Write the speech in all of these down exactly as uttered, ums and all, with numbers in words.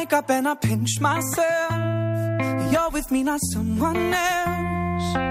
wake up and I pinch myself. You're with me, not someone else.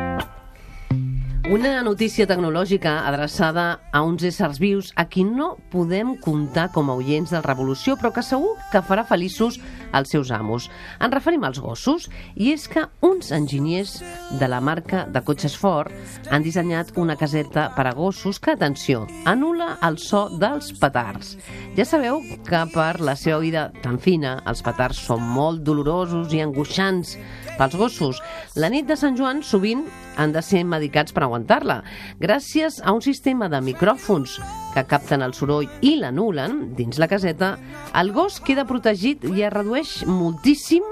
Una notícia tecnològica adreçada a uns éssers vius a qui no podem comptar com a oients de Revolució, però que segur que farà feliços els seus amos. Ens referim als gossos, i és que uns enginyers de la marca de cotxes Ford han dissenyat una caseta per a gossos que, atenció, anul·la el so dels petards. Ja sabeu que per la seva vida tan fina, els petards són molt dolorosos i angoixants pels gossos. La nit de Sant Joan sovint han de ser medicats per aguantar-la. Gràcies a un sistema de micròfons que capten el soroll i l'anulen dins la caseta, el gos queda protegit i es redueix moltíssim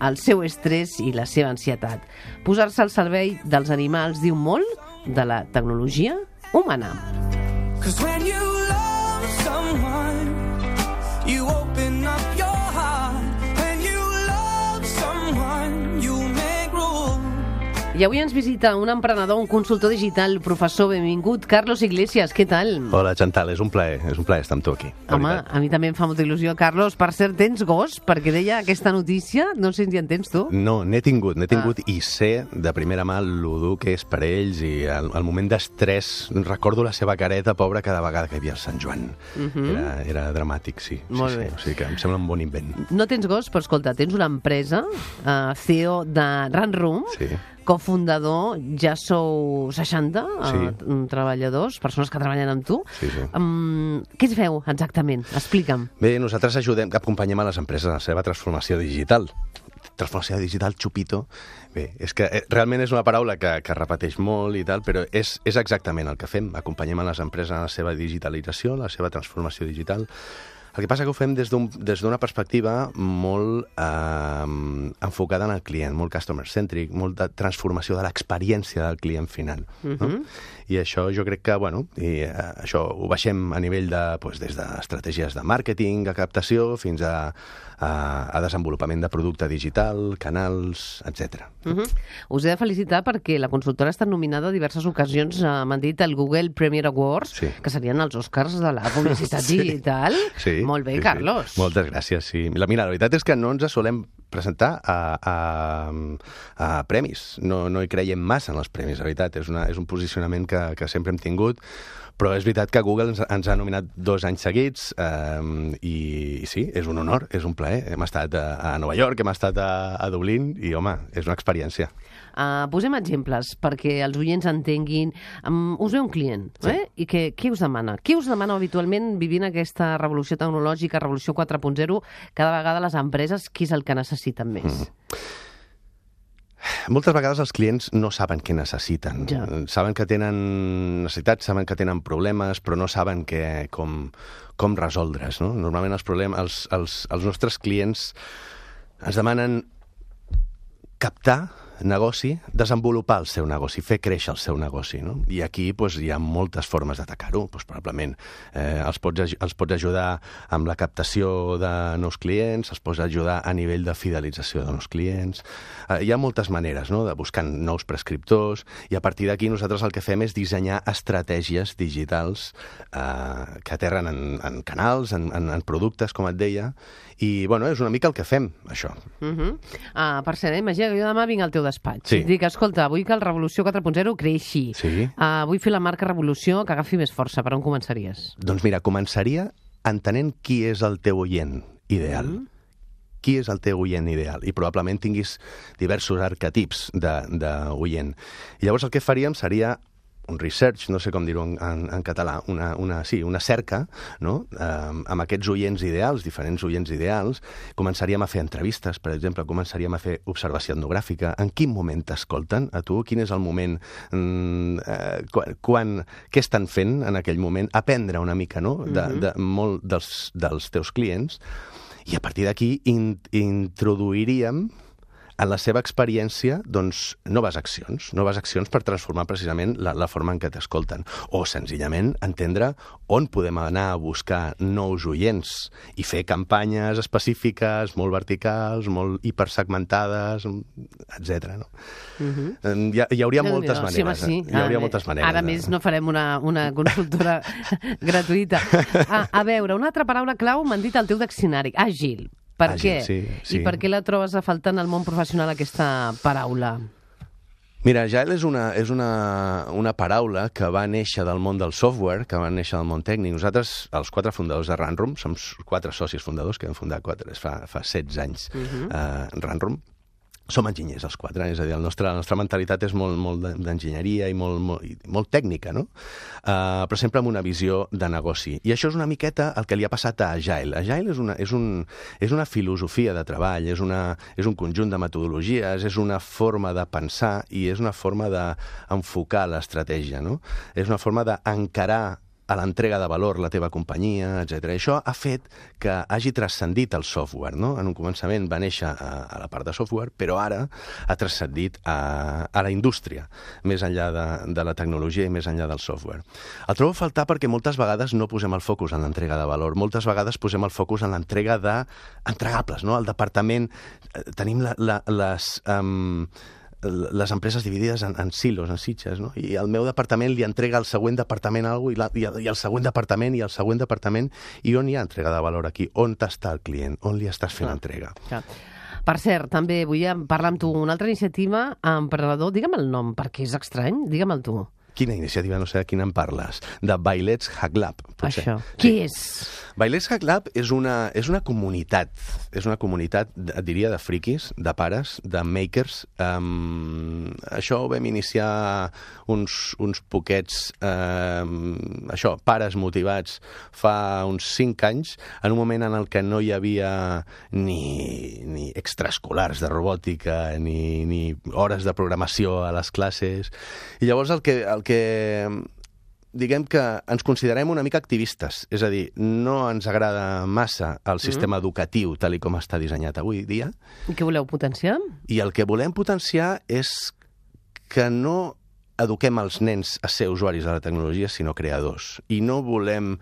el seu estrès i la seva ansietat. Posar-se al servei dels animals diu molt de la tecnologia humana. 'Cause when you love someone, you open up your heart. When you love someone, you make room. I avui ens visita un emprenedor, un consultor digital, professor, benvingut, Carlos Iglesias, què tal? Hola, Chantal, és un plaer, és un plaer estar amb tu aquí. Home, a mi també em fa molta il·lusió. Carlos, per cert, tens gos? Perquè deia aquesta notícia, no sé si en tens tu. No, n'he tingut, n'he tingut ah. i sé de primera mà lo dur que és per ells i el, el moment d'estrès, recordo la seva careta, pobra, cada vegada que hi havia el Sant Joan. Uh -huh. era, era dramàtic, sí. Molt sí, bé. Sí. O sigui que em sembla un bon invent. No tens gos, però escolta, tens una empresa, uh, C E O de Run Room, sí. cofundador, ja sou seixanta sí. uh, treballadors, persones que treballen amb tu. Sí, sí. Um, què es feu exactament? Explica'm. Bé, nosaltres ajudem, acompanyem a les empreses a la seva transformació digital. Transformació digital, xupito. Bé, és que eh, realment és una paraula que, que repeteix molt i tal, però és, és exactament el que fem. Acompanyem a les empreses a la seva digitalització, la seva transformació digital. El que passa que ho fem des d'un, des d'una perspectiva molt eh, enfocada en el client, molt customer-centric, molta transformació de l'experiència del client final. Uh-huh. No? I això jo crec que, bueno, i, eh, això ho baixem a nivell de, pues, des d'estratègies de màrqueting, a captació, fins a, a, a desenvolupament de producte digital, canals, etcètera. Uh-huh. Us he de felicitar perquè la consultora ha estat nominada a diverses ocasions, eh, m'han dit, al Google Premier Awards, sí. que serien els Oscars de la publicitat sí. digital. Sí. Molt bé, sí, Carlos. Sí. Moltes gràcies, sí. La, mira, la veritat és que no ens solem presentar a, a, a premis. No, no hi creiem massa en els premis, la veritat. És, una, és un posicionament que, que sempre hem tingut, però és veritat que Google ens, ens ha nominat dos anys seguits eh, i, i sí, és un honor, és un plaer. Hem estat a, a Nova York, hem estat a, a Dublín i, home, és una experiència. Uh, posem exemples perquè els oients entenguin. Um, us ve un client, sí. eh? I que, què us demana? Què us demana habitualment vivint aquesta revolució tecnològica, revolució quatre punt zero, cada vegada les empreses, què és el que necessiten més? Mm. Moltes vegades els clients no saben què necessiten. Ja. Saben que tenen necessitats, saben que tenen problemes, però no saben que, com, com resoldre's. No? Normalment els, problemes, els, els, els nostres clients ens demanen captar negoci, desenvolupar el seu negoci, fer créixer el seu negoci. No? I aquí doncs, hi ha moltes formes d'atacar-ho. Doncs, probablement eh, els, pots, els pots ajudar amb la captació de nous clients, els pots ajudar a nivell de fidelització de nous clients. Eh, hi ha moltes maneres, no?, de buscar nous prescriptors, i a partir d'aquí nosaltres el que fem és dissenyar estratègies digitals eh, que aterren en, en canals, en, en, en productes, com et deia, i bueno, és una mica el que fem, això. Uh -huh. uh, per cert, imagina que jo demà vinc al teu despatx. Sí. I dic, escolta, vull que el Revolució quatre punt zero creixi. Sí. Uh, vull fer la marca Revolució que agafi més força. Per on començaries? Doncs mira, començaria entenent qui és el teu oient ideal. Mm. Qui és el teu oient ideal? I probablement tinguis diversos arquetips d'oient. I llavors el que faríem seria un research, no sé com dir-ho en, en, en català, una, una, sí, una cerca, no?, eh, amb aquests oients ideals, diferents oients ideals. Començaríem a fer entrevistes, per exemple, començaríem a fer observació etnogràfica. En quin moment t'escolten a tu? Quin és el moment? Eh, quan, quan, què estan fent en aquell moment? Aprendre una mica, no?, de, de, molt dels, dels teus clients. I a partir d'aquí in, introduiríem en la seva experiència, doncs, noves accions, noves accions per transformar precisament la, la forma en què t'escolten. O, senzillament, entendre on podem anar a buscar nous oients i fer campanyes específiques, molt verticals, molt hipersegmentades, etcètera. No? Uh-huh. hi, hi hauria no, moltes no, maneres. Sí, sí. Hi hauria ah, moltes maneres. Ara més no farem una, una consultora gratuïta. Ah, a veure, una altra paraula clau m'han dit al teu diccionari. Àgil. Per Àgil, què? sí, sí. I per què la trobes a faltar en el món professional, aquesta paraula? Mira, Agile és una, és una, una paraula que va néixer del món del software, que va néixer del món tècnic. Nosaltres, els quatre fundadors de Runroom, som quatre socis fundadors que vam fundar quatre, fa, fa setze anys, uh-huh. uh, Runroom. Som enginyers, els quatre, és a dir, el nostre, la nostra mentalitat és molt, molt d'enginyeria i molt, molt, i molt tècnica, no? Uh, però sempre amb una visió de negoci. I això és una miqueta el que li ha passat a Agile. Agile és una, és un, és una filosofia de treball, és, una, és un conjunt de metodologies, és una forma de pensar i és una forma d'enfocar l'estratègia, no? És una forma d'encarar a l'entrega de valor la teva companyia, etcètera. Això ha fet que hagi transcendit el software, no? En un començament va néixer a, a la part de software, però ara ha transcendit a, a la indústria, més enllà de, de la tecnologia i més enllà del software. El trobo a faltar perquè moltes vegades no posem el focus en l'entrega de valor, moltes vegades posem el focus en l'entrega d'entregables, no? El departament, tenim la, la, les... Um, les empreses dividides en, en silos, en sitges, no? I el meu departament li entrega al següent departament alguna cosa, i, la, i el següent departament i el següent departament, i on hi ha entrega de valor aquí? On està el client? On li estàs fent entrega? Clar. Per cert, també vull parlar amb tu una altra iniciativa, emprenedor, digue'm el nom, perquè és estrany, digue'm-el tu. Quina iniciativa? No sé de quina em parles. De Vailets Hack Lab, potser. Això. Sí. Què és? Vailets Hack Lab és una, és una comunitat, és una comunitat, et diria, de friquis, de pares, de makers. Um, això ho vam iniciar uns, uns poquets, um, això, pares motivats fa uns cinc anys, en un moment en el que no hi havia ni, ni extraescolars de robòtica, ni, ni hores de programació a les classes. I llavors el que, el que diguem que ens considerem una mica activistes, és a dir, no ens agrada massa el sistema mm. educatiu tal i com està dissenyat avui dia. I què voleu potenciar? I el que volem potenciar és que no eduquem els nens a ser usuaris de la tecnologia, sinó creadors. I no volem...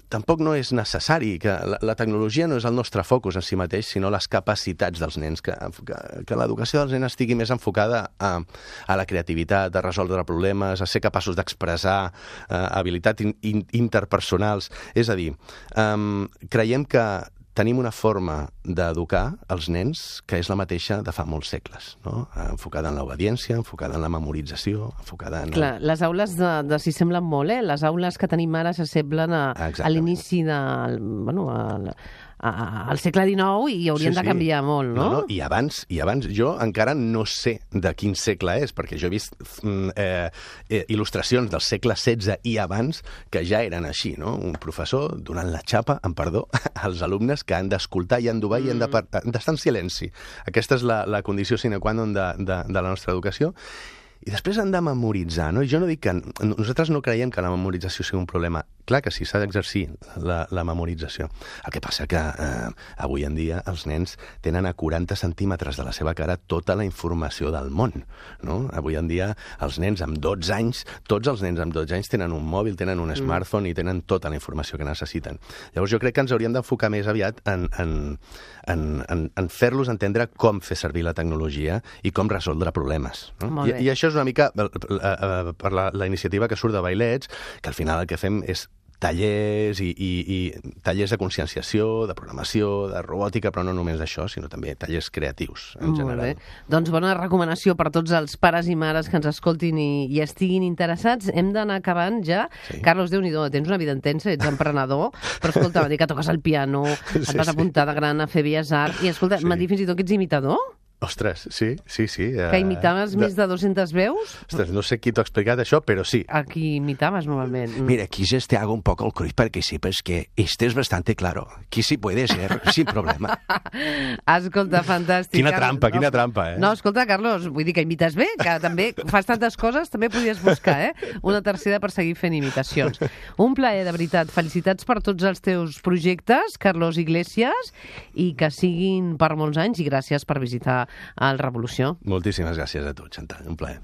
Tampoc no és necessari, que la, la tecnologia no és el nostre focus en si mateix, sinó les capacitats dels nens, que, que, que l'educació dels nens estigui més enfocada a, a la creativitat, a resoldre problemes, a ser capaços d'expressar uh, habilitats in, in, interpersonals. És a dir, um, creiem que tenim una forma d'educar els nens que és la mateixa de fa molts segles, no? Enfocada en l'obediència, enfocada en la memorització, enfocada en... Clar, les aules de, de si semblen molt, eh? Les aules que tenim ara s'assemblen a, a l'inici del... Bueno, a, a, al segle dinou i haurien sí, sí. de canviar molt, no? No, no? I abans, i abans jo encara no sé de quin segle és, perquè jo he vist eh, eh, il·lustracions del segle setze i abans que ja eren així, no? Un professor donant la xapa, amb perdó, als alumnes que han d'escoltar i han d'obeir mm. i han d'estar en silenci. Aquesta és la, la condició sine qua non de, de, de la nostra educació. I després han de memoritzar, no? I jo no dic que... Nosaltres no creiem que la memorització sigui un problema. Clar que sí, s'ha d'exercir la, la memorització. El que passa que eh, avui en dia els nens tenen a quaranta centímetres de la seva cara tota la informació del món, no? Avui en dia els nens amb dotze anys, tots els nens amb dotze anys tenen un mòbil, tenen un smartphone mm. i tenen tota la informació que necessiten. Llavors jo crec que ens hauríem d'enfocar més aviat en, en, en, en, en fer-los entendre com fer servir la tecnologia i com resoldre problemes. No? I, I això és una mica per la, la iniciativa que surt de Vailets, que al final el que fem és tallers i, i, i tallers de conscienciació, de programació, de robòtica, però no només d'això, sinó també tallers creatius, en Molt general. Bé. Doncs bona recomanació per tots els pares i mares que ens escoltin i, i estiguin interessats. Hem d'anar acabant ja. Sí. Carlos, Déu-n'hi-do, tens una vida intensa, ets emprenedor, però escolta, m'ha dit que toques el piano, sí, et vas apuntar de gran a fer Belles Arts, i escolta, sí. m'ha dit fins i tot que ets imitador? Ostres, sí, sí, sí. Que imitaves uh, més de dues-centes veus? Ostres, no sé qui t'ho ha explicat això, però sí. A qui imitaves normalment? Mira, quizás te hago un poco el quiz para que sepas que este es bastante claro. Que sí puede ser, sin problema. Escolta, fantàstic. Quina trampa, no, quina trampa, eh? No, escolta, Carlos, vull dir que imites bé, que també fas tantes coses, també podries buscar, eh? Una tercera per seguir fent imitacions. Un plaer, de veritat. Felicitats per tots els teus projectes, Carlos Iglesias, i que siguin per molts anys, i gràcies per visitar el Revolució. Moltíssimes gràcies a tu, Chantal. Un plaer.